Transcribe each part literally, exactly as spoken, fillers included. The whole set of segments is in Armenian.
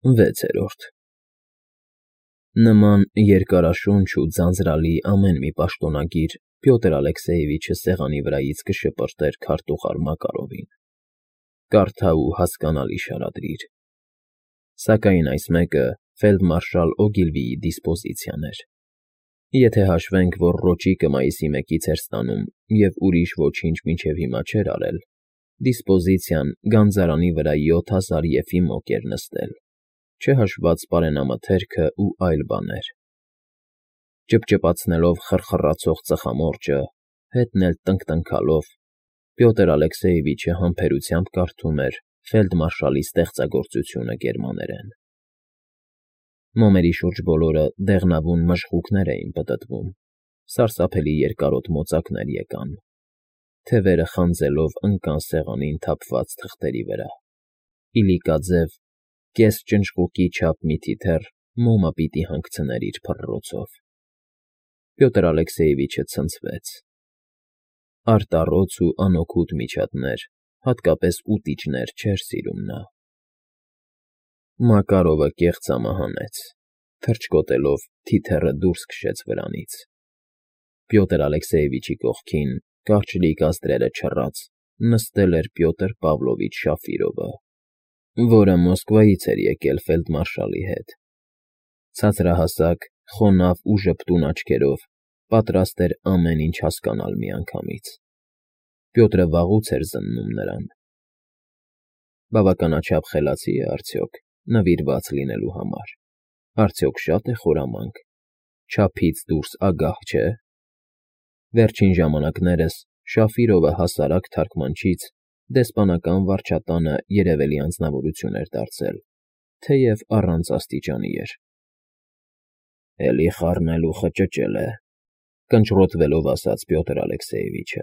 Վեցերորդ Նման երկարաշունչ ու ձանձրալի ամեն մի պաշտոնագիր Պյոտր Ալեքսեևիչը սեղանի վրայից կշպրտեր քարտուղար Մակարովին. «Կարդա ու հասկանալի շարադրիր»։ Սակայն այս մեկը ֆելդմարշալ Օգիլվիի դիսպոզիցիան էր։ Եթե հաշվենք, որ Ռոճիկը մայիսի մեկից էր ստանում և ուրիշ ոչինչ մինչև հիմա չէր արել, դիսպոզիցիան գանձարանի վրա յոթ հազար եփի մոկ էր նստել, չհաշված պարենամթերքն ու այլ բաներ։ Ճպճպացնելով խռխռացող ծխամորճը, հետն էլ տնկտնքալով, Պյոտր Ալեքսեևիչը համբերությամբ կարդում էր ֆելդմարշալի ստեղծագործությունը գերմաներեն։ Մոմերի շուրջ բոլորը դեղնավուն մժղուկներ էին պտտվում, սարսափելի երկարոտ մոծակներ եկան, թևերը խանձելով ընկան սեղանին թափված թղթերի վրա, իլիկաձև, կես ճնճղուկի չափ մի թիթեռ մոմը պիտի հանգցներ իր փռռոցով։ Պյոտր Ալեքսեևիչը ցնցվեց։ Արտառոց ու անօգուտ միջատներ, հատկապես ուտիչներ չէր սիրում նա։ Մակարովը կեղծ ամահանեց, թռչկոտելով թիթեռը դուրս քշեց վրանից։ Պյոտր Ալեքսեևիչի կողքին, կարճլիկ ազդրերը չռած, նստել էր Պյոտր Պավլովիչ Շաֆիրովը, որը Մոսկվայից էր եկել ֆելդմարշալի հետ։ Ցածրահասակ, խոնավ ու ժպտուն աչքերով պատրաստ էր ամեն ինչ հասկանալ միանգամից։ Պյոտրը վաղուց էր զննում նրան։ Բավականաչափ խելացի է արդյոք նվիրված լինելու համար, արդյոք շատ է խորամանկ, չափից դուրս ագահ չէ։ Վերջին ժամանակներս Շաֆիրովը հասարակ թարգմանչից դեսպանական վարչատանը երևելի անձնավորություն էր դարձել, թեև առանց աստիճանի էր։ Էլի խառնել ու խճճել է, կնճռոտվելով ասաց Պյոտր Ալեքսեևիչը։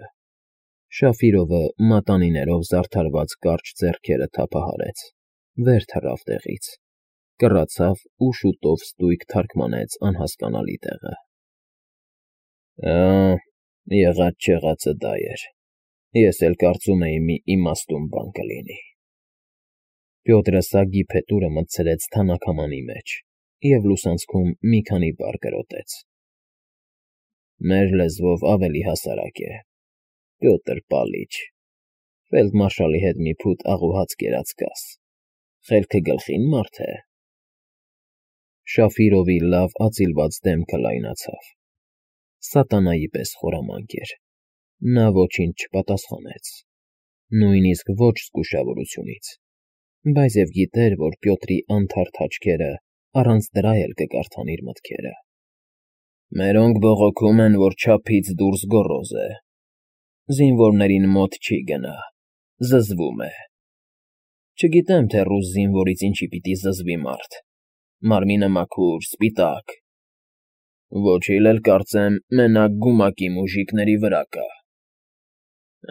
Շաֆիրովը մատանիներով զարդարված կարճ ձեռքերը թափահարեց, վեր թռավ տեղից, կռացավ ու շուտով ստույգ թարգմանեց անհասկանալի տեղը։ Ա, եղած֊չեղածը դա էր, ես էլ կարծում էի մի իմաստուն բան կլինի։ Պյոտրը սագի փետուրը մտցրեց թանաքամանի մեջ և լուսանցքում մի քանի բառ կրոտեց։ Մեր լեզվով ավելի հասարակ է, Պյոտր Պալիչ, ֆելդմարշալի հետ մի փութ աղուհաց կերած կաս, խելքը գլխին մարդ է։ Շաֆիրովի լավ ածիլված դեմքը լայնացավ, սատանայի պես խորամանկ էր, նա ոչինչ չպատասխանեց, նույնիսկ ոչ զգուշավորությունից, բայց և գիտեր, որ Պյոտրի անթարթ աչքերը առանց դրա էլ կկարդան իր մտքերը։ Մերոնք բողոքում են, որ չափից դուրս գոռոզ է, զինվորներին մոտ չի գնա, զզվում է։ Չգիտեմ, թե ռուս զինվորից ինչի պիտի զզվի մարդ, մարմինը մաքուր, սպիտակ։ Ոչինչ էլ կարծեմ մենակ գումակի մուժիկների վրա կա։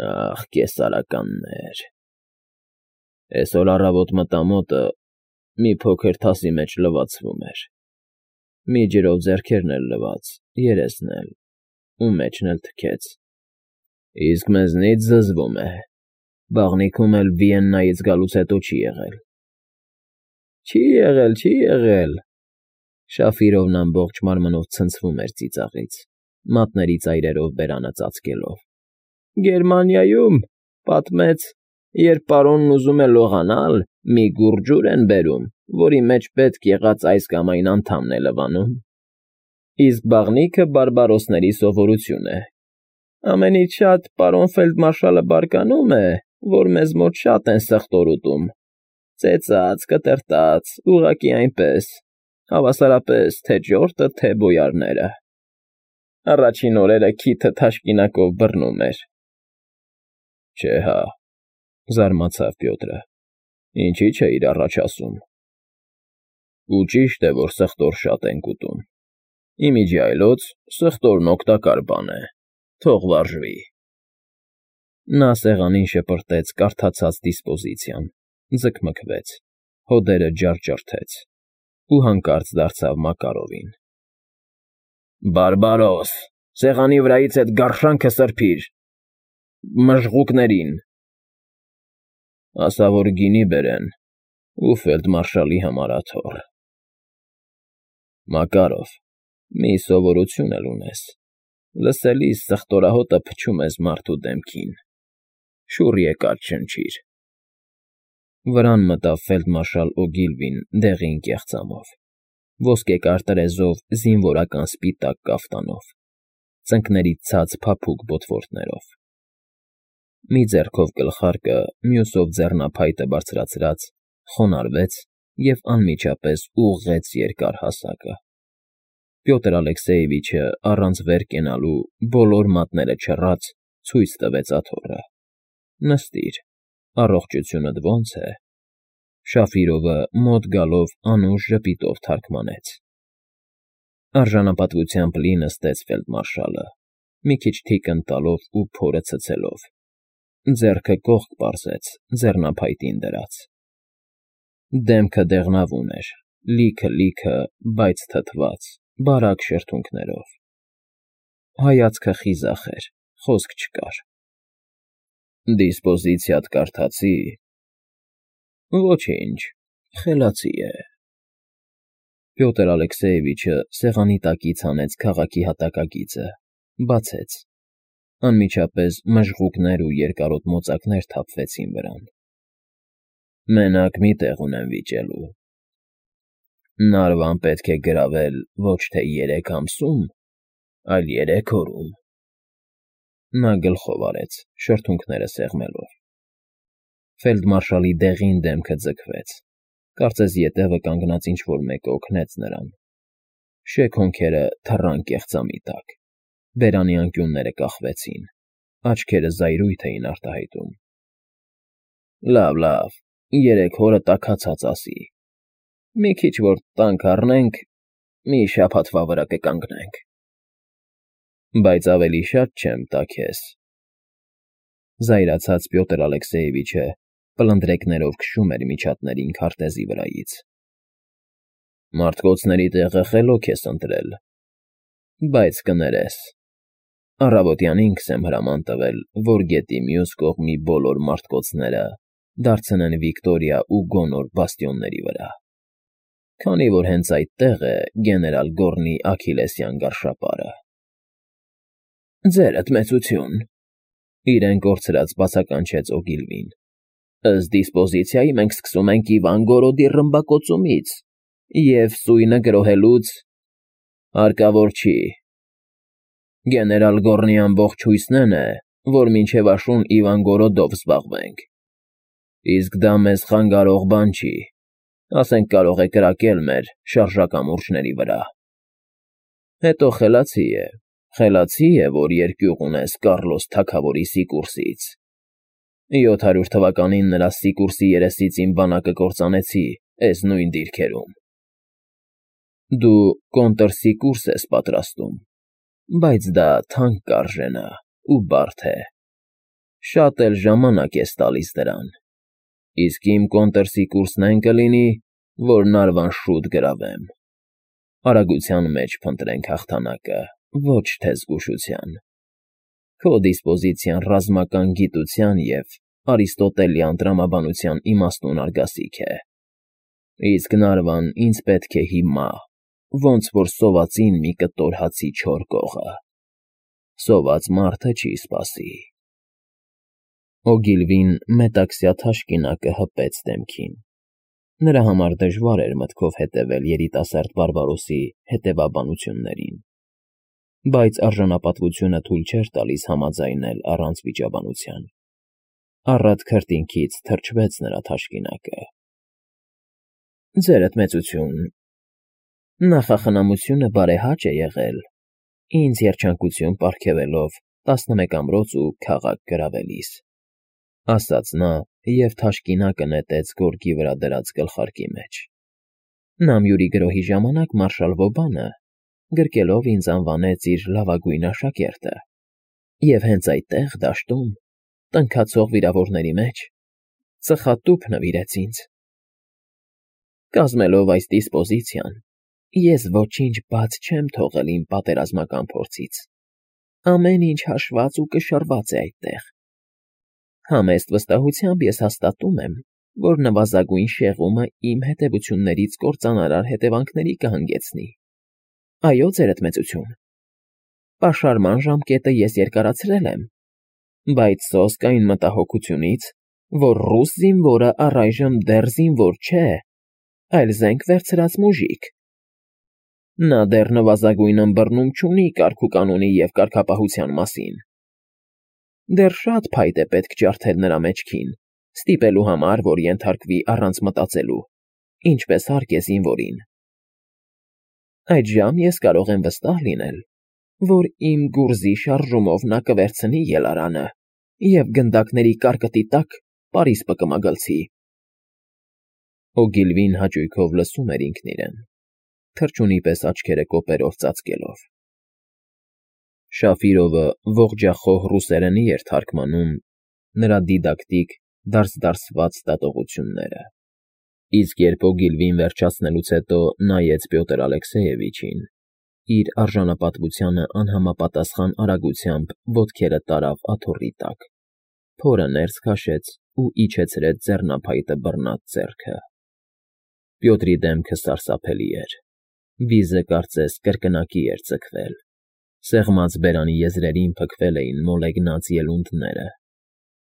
Ախ, կեսարականներ։ Էսօր առավոտ մտա մոտը, մի փոքր թասի մեջ լվացվում էր, մի ջրով ձեռքերն էլ լվաց, երեսն էլ, ու մեջն էլ թքեց, իսկ մեզնից զզվում է, բաղնիքում էլ Վիեննայից գալուց հետո չի եղել։ Չի եղել, չի եղել։ Շաֆիրովն ամբողջ մարմնով ցնցվում էր ծիծաղից, մատների ծայրերով բերանը ծածկելով։ Գերմանիայում, պատմեց, երբ պարոնն ուզում է լողանալ, մի գուռ ջուր են բերում, որի մեջ պետք եղած այս կամ այն անդամն է լվանում։ Իսկ բաղնիքը բարբարոսների սովորություն է։ Ամենից շատ պարոն ֆելդմարշալը բարկանում է, որ մեզ մոտ շատ են սխտոր ուտում, ծեծած, կտրտած, ուղղակի այնպես, հավասարապես թե ճորտը, թե բոյարները։ Առաջին օրերը քիթը թաշկինակով բռնում էր։ Չէ հա, զարմացավ Պյոտրը, ինչի՞ չէիր առաջ ասում։ Ու ճիշտ է, որ սխտոր շատ ենք ուտում։ Ի միջի այլոց սխտորն օգտակար բան է, թող վարժվի։ Նա սեղանին շպրտեց կարդացած դիսպոզիցիան, ձգմգվեց, հոդերը ջարդջրթեց ու հանկարծ դարձավ Մակարովին։ Բարբարոս, սեղանի վրայից էդ գարշանքը սրբիր… մժղուկներին… Ասա, որ գինի բերեն, ու ֆելդմարշալի համար աթոռ։ Մակարով, մի սովորություն էլ ունես. լսելիս սխտորահոտը փչում ես մարդու դեմքին, շուռ եկած չնչիր։ Վրան մտավ ֆելդմարշալ Օգիլվին դեղին կեղծամով, ոսկեկար տրեզով զինվորական սպիտակ կաֆտանով, ծնկներից ցած փափուկ բոթվորտներով։ Մի ձեռքով գլխարկը, մյուսով ձեռնափայտը բարձրացրած, խոնարհվեց և անմիջապես ուղղեց երկար հասակը։ Պյոտր Ալեքսեևիչը առանց վեր կենալու, բոլոր մատները չռած, ցույց տվեց աթոռը։ Նստիր, առողջությունդ ո՞նց է։ Շաֆիրովը մոտ գալով անուշ ժպիտով թարմգանեց։ Արժանապատվությամբ լի նստեց ֆելդմարշալը, մի քիչ թիկնք տալով ու փորը ցցելով, ձեռքը կողք պարզեց, ձեռնափայտին դրած։ Դեմքը դեղնավուն էր, լիքը֊լիքը, բայց թթված, բարակ շրթունքներով։ Հայացքը խիզախ էր, խոսք չկար։ Դիսպոզիցիադ կարդացի՞։ Ոչինչ, խելացի է։ Պյոտր Ալեքսեևիչը սեղանի տակից հանեց քաղաքի հատակագիծը, բացեց։ Անմիջապես մժղուկներ ու երկարոտ մոծակներ թափվեցին վրան։ Մենակ մի տեղ ունեմ վիճելու։ Նարվան պետք է գրավել ոչ թե երեք ամսում, այլ երեք օրում։ Նա գլխով արեց, շրթունքները սեղմելով։ Ֆելդմարշալի դեղին դեմքը ձգվեց, կարծես ետևը կանգնած ինչ֊որ մեկը օգնեց նրան։ Շեք հոնքերը թռան կեղծամի տակ, բերանի անկյունները կախվեցին, աչքերը զայրույթ էին արտահայտում։ Լավ, լավ, երեք օրը տաքացած ասի։ Մի քիչ որ տանկ առնենք, մի շաբաթվա վրա կկանգնենք։ Բայց ավելի շատ չեմ տա քեզ։ Զայրացած Պյոտր Ալեքսեևիչը պլնդրեկներով քշում էր միջատներին քարտեզի վրայից։ Մարտկոցների տեղը խելոք ես ընտրել, բայց կներես։ Առավոտյանին կսեմ հրաման տվել, որ գետի մյուս կողմի բոլոր մարտկոցները դարձնեն Վիկտորիա ու Գոնոր բաստիոնների վրա, քանի որ հենց այդտեղ է գեներալ Գոռնի աքիլեսյան գարշապարը։ Ձերդ մեծություն, իրեն կորցրած բացականչեց Օգիլվին։ Ըստ դիսպոզիցիայի մենք սկսում ենք Իվան Գորոդի ռմբակոծումից և սույնը գրոհելուց… Հարկավոր չի։ Գեներալ Գոռնի ամբողջ հույսն էն է, որ մինչև աշուն Իվանգորոդով զբաղվենք։ Իսկ դա մեզ խանգարող բան չի, ասենք կարող է կրակել մեր շարժակամուրջների վրա։ Հետո խելացի է, խելացի է, որ երկյուղ ունես Կառլոս թագավորի Սիկուրսից։ Յոթ հարյուր թվականին նրա Սիկուրսի երեսից իմ բանակը կործանեցի էս նույն դիրքերում։ Դու կոնտրսիկուրս ես պատրաստում, բայց դա թանկ կարժենա ու բարդ է։ Շատ էլ ժամանակ ես տալիս դրան, իսկ իմ կոնտրսիկուրսն այն կլինի, որ Նարվան շուտ գրավեմ։ Արագության մեջ փնտրենք հաղթանակը, ոչ թե զգուշության։ Քո դիսպոզիցիան ռազմական գիտության և արիստոտելյան տրամաբանության իմաստուն արգասիք է։ Իսկ Նարվան ինձ պետք է հիմա, ոնց որ սովածին մի կտոր հացի չոր կողը։ Սոված մարդը չի սպասի։ Օգիլվին մետաքսյա թաշկինակը հպեց դեմքին։ Նրա համար դժվար էր մտքով հետևել երիտասարդ Բարբարոսի հետևաբանություններին, բայց արժանապատվությունը թույլ չէր տալիս համաձայնել առանց վիճաբանության։ Առատ քրտինքից թրջվեց նրա թաշկինակը։ Ձերդ մեծություն, նախախնամությունը բարեհաճ է եղել, ինձ երջանկություն պարգևելով տասնմեկ ամրոց ու քաղաք գրավելիս, ասաց նա և թաշկինակը նետեց գորգի վրա դրած գլխարկի մեջ։ Նամյուրի գրոհի ժամանակ մարշալ Վոբանը գրկելով ինձ անվանեց իր լավագույն աշակերտը, և հենց այդտեղ, դաշտում, տնքացող վիրավորների մեջ, ծխատուփ նվիրեց ինձ։ Կազմելով այս դիսպոզիցիան, ես ոչինչ բաց չեմ թողել իմ պատերազմական փորձից, ամեն ինչ հաշված ու կշռված է այդտեղ։ Համեստ վստահությամբ ես հաստատում եմ, որ նվազագույն շեղումը իմ հետևություններից կործանարար հետևանքների կհանգեցնի։ Այո, ձերդ մեծություն, պաշարման ժամկետը ես երկարացրել եմ, բայց սոսկ այն մտահոգությունից, որ ռուս զինվորը առայժմ դեռ զինվոր չէ, այլ զենք վերցրած մուժիկ։ Նա դեռ նվազագույն ըմբռնում չունի կարգուկանոնի և կարգապահության մասին։ Դեռ շատ փայտ է պետք ջարդել նրա մեջքին, ստիպելու համար, որ ենթարկվի առանց մտածելու, ինչպես հարկ է զինվորին։ Այդժամ ես կարող եմ վստահ լինել, որ իմ գուրզի շարժումով նա կվերցնի ելարանը և գնդակների կարկտի տակ պարիսպը կմագլցի։ Օգիլվին հաճույքով լսում էր ինքն իրեն, թռչունի պես աչքերը կոպերով ծածկելով։ Շաֆիրովը ողջախոհ ռուսերենի էր թարգմանում նրա դիդակտիկ, դարսդարսված դատողությունները, իսկ երբ Օգիլվին վերջացնելուց հետո նայեց Պյոտր Ալեքսեյևիչին, իր արժանապատվությանը անհամապատասխան արագությամբ ոտքերը տարավ աթոռի տակ, փորը ներս քաշեց ու իջեցրեց ձեռնափայտը բռնած ձեռքը։ Պյոտրի դեմքը սարսափելի էր, վիզը կարծես կրկնակի էր ձգվել, սեղմած բերանի եզրերին փքվել էին մոլեգնած ելունդները,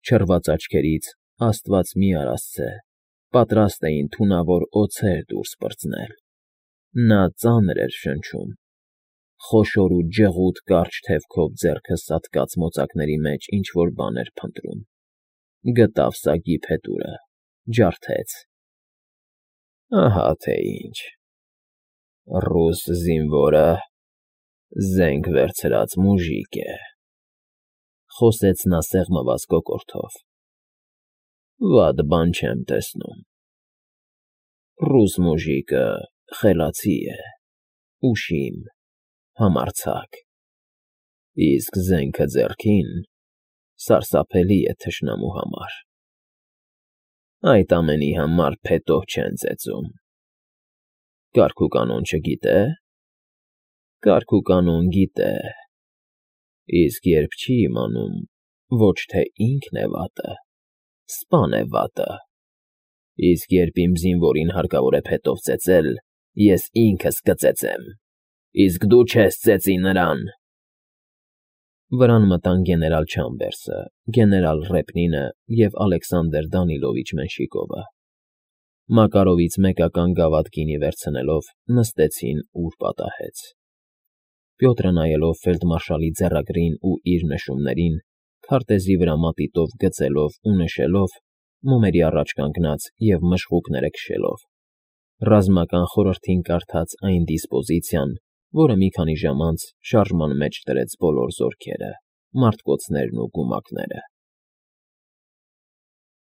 չռված աչքերից, աստված մի արասցե, պատրաստ էին թունավոր օձեր դուրս պրծնել։ Նա ծանր էր շնչում, խոշոր ու ջղուտ կարճ թևքով ձեռքը սատկած մոծակների մեջ ինչ֊որ բան էր փնտրում, գտավ սագի փետուրը, ջարդեց. Ահա թե ինչ, ռուս զինվորը զենք վերցրած մուժիկ է, խոսեց նա սեղմված կոկորդով, վատ բան չեմ տեսնում, ռուս մուժիկը խելացի է, ուշիմ, համարձակ, իսկ զենքը ձեռքին սարսափելի է թշնամու համար, այդ ամենի համար փետով չեն ծեծում, կարգուկանոն չգիտե՞, կարգուկանոն գիտե, իսկ երբ չի իմանում, ոչ թե ինքն է վատը, սպան է վատը, իսկ երբ իմ զինվորին հարկավոր է փետով ծեծել, ես ինքս կծեծեմ, իսկ դու չես ծեծի նրան։ Վրան մտան գեներալ Չամբերսը, գեներալ Ռեպնինը և Ալեքսանդր Դանիլովիչ Մենշիկովը։ Մակարովից մեկական գավաթ գինի վերցնելով նստեցին, ուր պատահեց։ Պյոտրը նայելով ֆելդմարշալի ձեռագրին ու իր նշումներին, քարտեզի վրա մատիտով գծելով ու նշելով, մոմերի առաջ կանգնած և մշղուկները քշելով, ռազմական խորհրդին կարդաց այն դիսպոզիցիան, որը մի քանի ժամ անց շարժման մեջ դրեց բոլոր զորքերը, մարտկոցներն ու գումակները։